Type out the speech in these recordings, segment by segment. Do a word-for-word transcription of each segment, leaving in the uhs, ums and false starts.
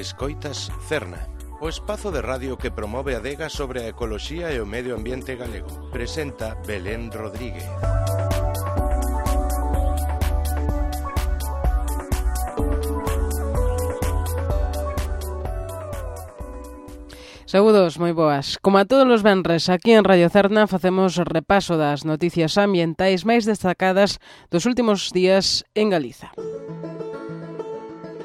Escoitas Cerna, o espazo de radio que promove a adega sobre a ecoloxía e o medio ambiente galego. Presenta Belén Rodríguez. Saúdos, moi boas. Como a todos os venres, aquí en Radio Cerna facemos repaso das noticias ambientais máis destacadas dos últimos días en Galiza.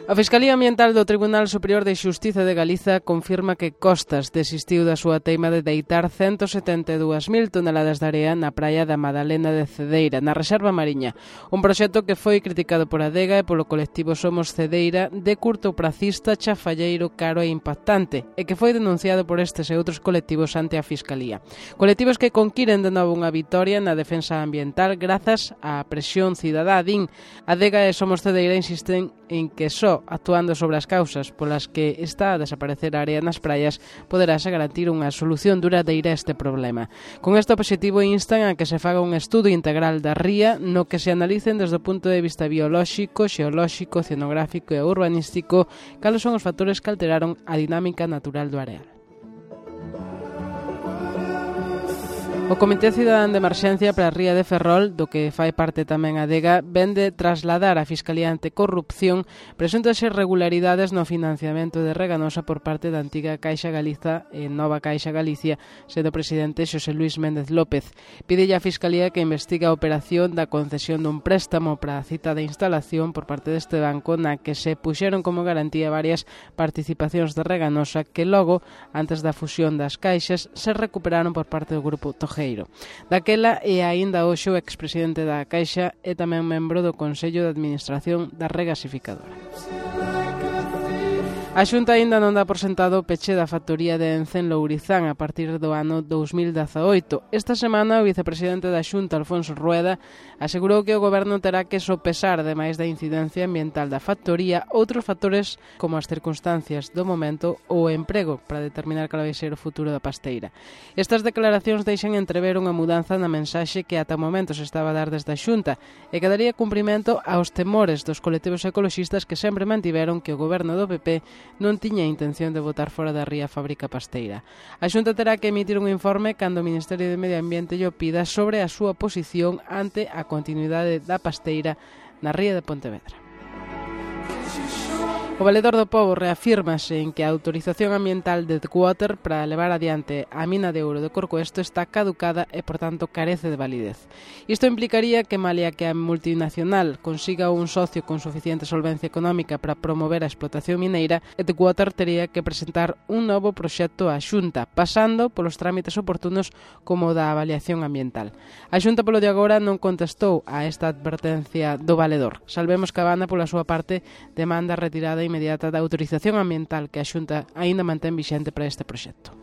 A Fiscalía Ambiental do Tribunal Superior de Xustiza de Galiza confirma que Costas desistiu da súa teima de deitar ciento setenta e dúas mil toneladas de area na praia da Madalena de Cedeira, na Reserva Mariña, un proxecto que foi criticado por Adega e polo colectivo Somos Cedeira de curto prazista, chafalleiro, caro e impactante, e que foi denunciado por estes e outros colectivos ante a Fiscalía. Colectivos que conquiren de novo unha vitoria na defensa ambiental grazas á presión cidadá, din. Adega e Somos Cedeira insisten en que só actuando sobre as causas polas que está a desaparecer a area nas praias poderase garantir unha solución duradeira a este problema. Con este obxectivo instan a que se faga un estudo integral da ría no que se analicen desde o punto de vista biolóxico, xeolóxico, oceanográfico e urbanístico cales son os factores que alteraron a dinámica natural do areal. O Comité Cidadán de Emerxencia para a Ría de Ferrol, do que fai parte tamén a Adega, vende trasladar a Fiscalía Anticorrupción presuntas irregularidades no financiamento de Reganosa por parte da antiga Caixa Galiza e Nova Caixa Galicia, sendo presidente Xosé Luís Méndez López. Pídelle a Fiscalía que investigue a operación da concesión dun préstamo para a cita de instalación por parte deste banco na que se puxeron como garantía varias participacións de Reganosa que logo, antes da fusión das caixas, se recuperaron por parte do grupo Tojeiro. Daquela e aínda hoxe o expresidente da Caixa e tamén membro do Consello de Administración da Regasificadora. A Xunta aínda non dá por sentado o peche da factoría de Ence en Lourizán a partir do ano dous mil dezaoito. Esta semana o vicepresidente da Xunta, Alfonso Rueda, asegurou que o Goberno terá que sopesar, ademais da incidencia ambiental da factoría, outros factores como as circunstancias do momento ou o emprego para determinar cal vai ser o futuro da pasteira. Estas declaracións deixan entrever unha mudanza na mensaxe que ata o momento se estaba a dar desde a Xunta e que daría cumprimento aos temores dos colectivos ecoloxistas que sempre mantiveron que o Goberno do P P non tiña intención de botar fora da ría a fábrica pasteira. A Xunta terá que emitir un informe cando o Ministerio de Medio Ambiente lle pida sobre a súa posición ante a continuidade da pasteira na ría de Pontevedra. O Valedor do Pobo reafírmase en que a autorización ambiental de Deepwater para levar adiante a mina de ouro de Corcoesto está caducada e, por tanto, carece de validez. Isto implicaría que, malia que a multinacional consiga un socio con suficiente solvencia económica para promover a explotación mineira, Deepwater tería que presentar un novo proxecto á Xunta, pasando polos trámites oportunos como o da avaliación ambiental. A Xunta, polo de agora, non contestou a esta advertencia do Valedor. Salvemos que a banda, pola súa parte, demanda retirada inmediata da autorización ambiental que a Xunta aínda mantén vixente para este proxecto.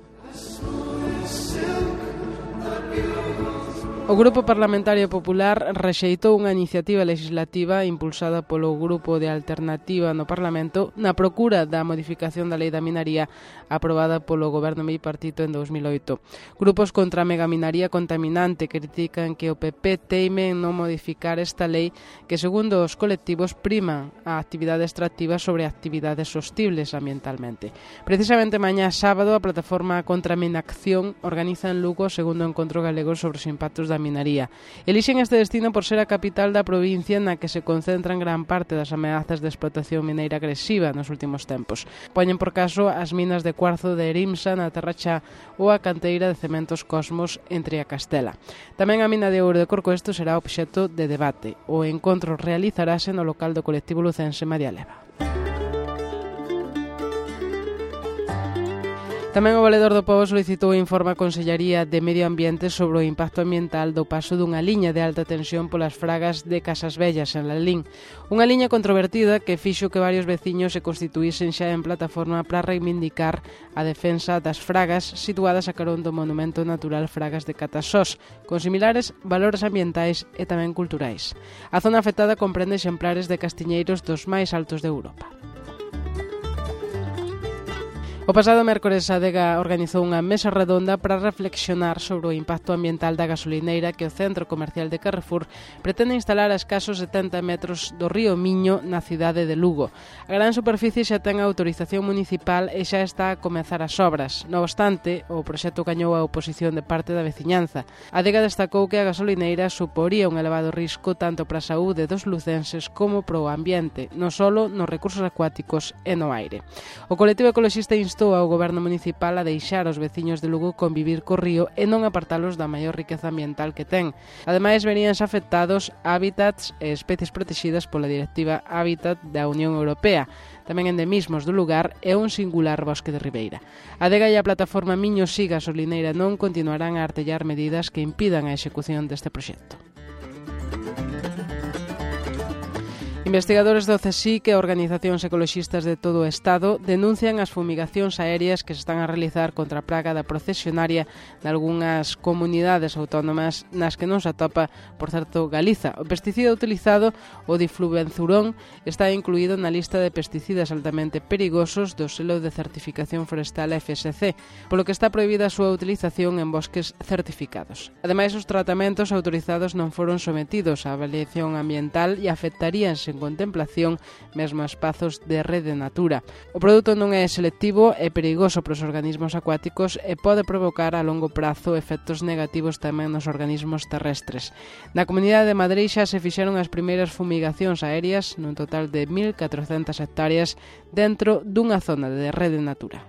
O Grupo Parlamentario Popular rexeitou unha iniciativa legislativa impulsada polo Grupo de Alternativa no Parlamento na procura da modificación da Lei da Minaría aprobada polo Goberno bipartito en dous mil oito. Grupos contra a megaminaría contaminante critican que o P P teime en non modificar esta lei que, segundo os colectivos, prima a actividade extractiva sobre actividades sostibles ambientalmente. Precisamente mañá sábado a plataforma contra a Minacción organiza en Lugo o segundo encontro galego sobre os impactos da minaría. Elixen este destino por ser a capital da provincia na que se concentran gran parte das ameazas de explotación mineira agresiva nos últimos tempos. Poñen por caso as minas de cuarzo de Erimsa na Terrachá ou a canteira de cementos Cosmos entre a Castela. Tamén a mina de ouro de Corcoesto será obxecto de debate. O encontro realizarase no local do colectivo lucense María Leva. Tamén o Valedor do Pobo solicitou informe á Consellaría de Medio Ambiente sobre o impacto ambiental do paso dunha liña de alta tensión polas fragas de Casas Vellas en Lalín. Unha liña controvertida que fixo que varios veciños se constituísen xa en plataforma para reivindicar a defensa das fragas situadas a carón do Monumento Natural Fragas de Catasós, con similares valores ambientais e tamén culturais. A zona afectada comprende exemplares de castiñeiros dos máis altos de Europa. O pasado mércores a Adega organizou unha mesa redonda para reflexionar sobre o impacto ambiental da gasolineira que o centro comercial de Carrefour pretende instalar a escasos setenta metros do río Miño na cidade de Lugo. A gran superficie xa ten a autorización municipal e xa está a comezar as obras. Non obstante, o proxecto gañou a oposición de parte da veciñanza. A Adega destacou que a gasolineira suporía un elevado risco tanto para a saúde dos lucenses como para o ambiente, non só nos recursos acuáticos e no aire. O colectivo ecoloxista instou ao goberno municipal a deixar os veciños de Lugo convivir co río e non apartalos da maior riqueza ambiental que ten. Ademais, veríanse afectados hábitats e especies protegidas pola Directiva Hábitat da Unión Europea, tamén endemismos do lugar e un singular bosque de ribeira. A Adega e a plataforma Miño Si Gasolineira non continuarán a artellar medidas que impidan a execución deste proxecto. Investigadores do CSIC e organizacións ecoloxistas de todo o Estado denuncian as fumigacións aéreas que se están a realizar contra a praga da procesionaria de algunhas comunidades autónomas nas que non se atopa, por certo, Galiza. O pesticida utilizado, o diflubenzurón, está incluído na lista de pesticidas altamente perigosos do selo de certificación forestal F S C, polo que está prohibida a súa utilización en bosques certificados. Ademais, os tratamentos autorizados non foron sometidos á avaliación ambiental e afectaríanse en contemplación mesmo a espazos de rede natura. O produto non é selectivo, é perigoso para os organismos acuáticos e pode provocar a longo prazo efectos negativos tamén nos organismos terrestres. Na Comunidade de Madrid xa se fixeron as primeiras fumigacións aéreas nun total de mil catrocentas hectáreas dentro dunha zona de rede natura.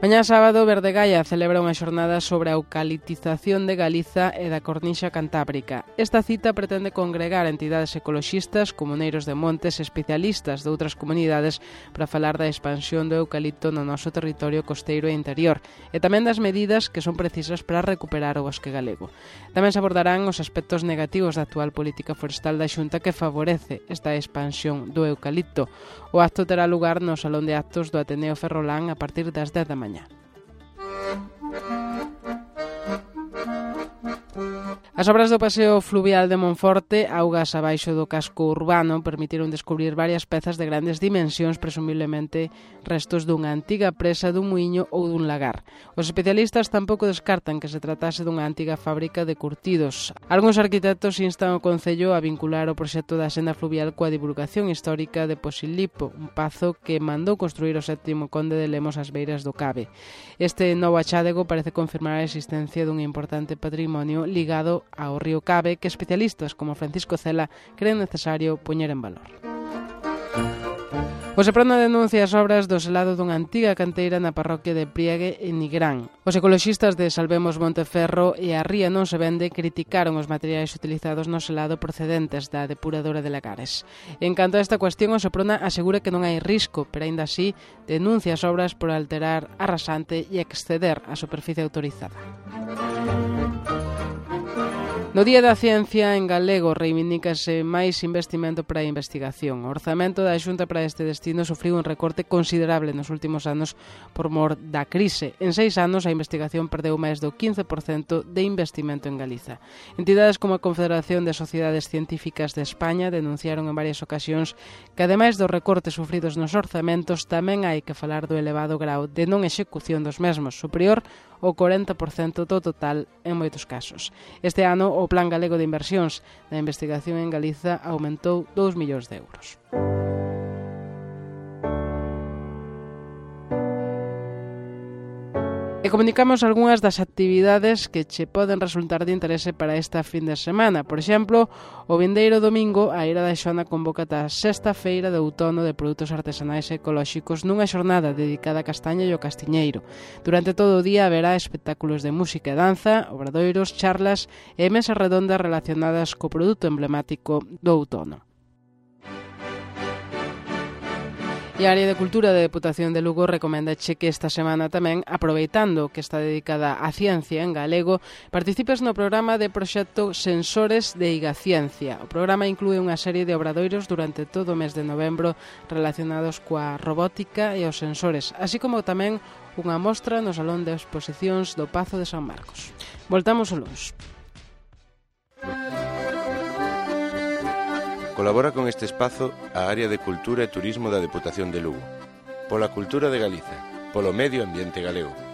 Mañá sábado, Verdegaia celebra unha xornada sobre a eucaliptización de Galiza e da Cornixa Cantábrica. Esta cita pretende congregar entidades ecoloxistas, comuneiros de montes e especialistas de outras comunidades para falar da expansión do eucalipto no noso territorio costeiro e interior e tamén das medidas que son precisas para recuperar o bosque galego. Tamén se abordarán os aspectos negativos da actual política forestal da Xunta que favorece esta expansión do eucalipto. O acto terá lugar no Salón de Actos do Ateneo Ferrolán a partir das dez da mañá. As obras do paseo fluvial de Monforte, augas abaixo do casco urbano, permitiron descubrir varias pezas de grandes dimensións, presumiblemente restos dunha antiga presa dun muiño ou dun lagar. Os especialistas tampouco descartan que se tratase dunha antiga fábrica de curtidos. Algúns arquitectos instan o Concello a vincular o proxecto da senda fluvial coa divulgación histórica de Posillipo, un pazo que mandou construir o sétimo conde de Lemos ás beiras do Cabe. Este novo achádego parece confirmar a existencia dun importante patrimonio ligado ao río Cabe que especialistas como Francisco Cela creen necesario poñer en valor. O Seprona denuncia as obras do selado dunha antiga canteira na parroquia de Priegue en Nigrán. Os ecoloxistas de Salvemos Monteferro e a Ría Non se Vende criticaron os materiais utilizados no selado procedentes da depuradora de Lagares. En canto a esta cuestión, o Seprona asegura que non hai risco, pero aínda así denuncia as obras por alterar a rasante e exceder a superficie autorizada. No Día da Ciencia en galego reivindícase máis investimento para a investigación. O orzamento da Xunta para este destino sufriu un recorte considerable nos últimos anos por mor da crise. En seis anos a investigación perdeu máis do quince por cento de investimento en Galiza. Entidades como a Confederación de Sociedades Científicas de España denunciaron en varias ocasións que ademais dos recortes sufridos nos orzamentos tamén hai que falar do elevado grau de non execución dos mesmos, superior ao corenta por cento do total en moitos casos. Este ano o Plan Galego de Inversións da Investigación en Galiza aumentou dous millóns de euros. E comunicamos algunhas das actividades que che poden resultar de interese para esta fin de semana. Por exemplo, o vindeiro domingo a Eira da Xona convoca a sexta feira de outono de produtos artesanais e ecolóxicos nunha xornada dedicada á castaña e ao castiñeiro. Durante todo o día haberá espectáculos de música e danza, obradoiros, charlas e mesas redondas relacionadas co produto emblemático do outono. E a Área de Cultura da Deputación de Lugo recomendache que esta semana tamén, aproveitando que está dedicada á ciencia en galego, participes no programa de proxecto Sensores de Igaciencia. O programa inclúe unha serie de obradoiros durante todo o mes de novembro relacionados coa robótica e os sensores, así como tamén unha mostra no Salón de Exposicións do Pazo de San Marcos. Voltamos o luns. Colabora con este espazo a Área de Cultura e Turismo da Deputación de Lugo. pola cultura de Galiza, polo medio ambiente galego.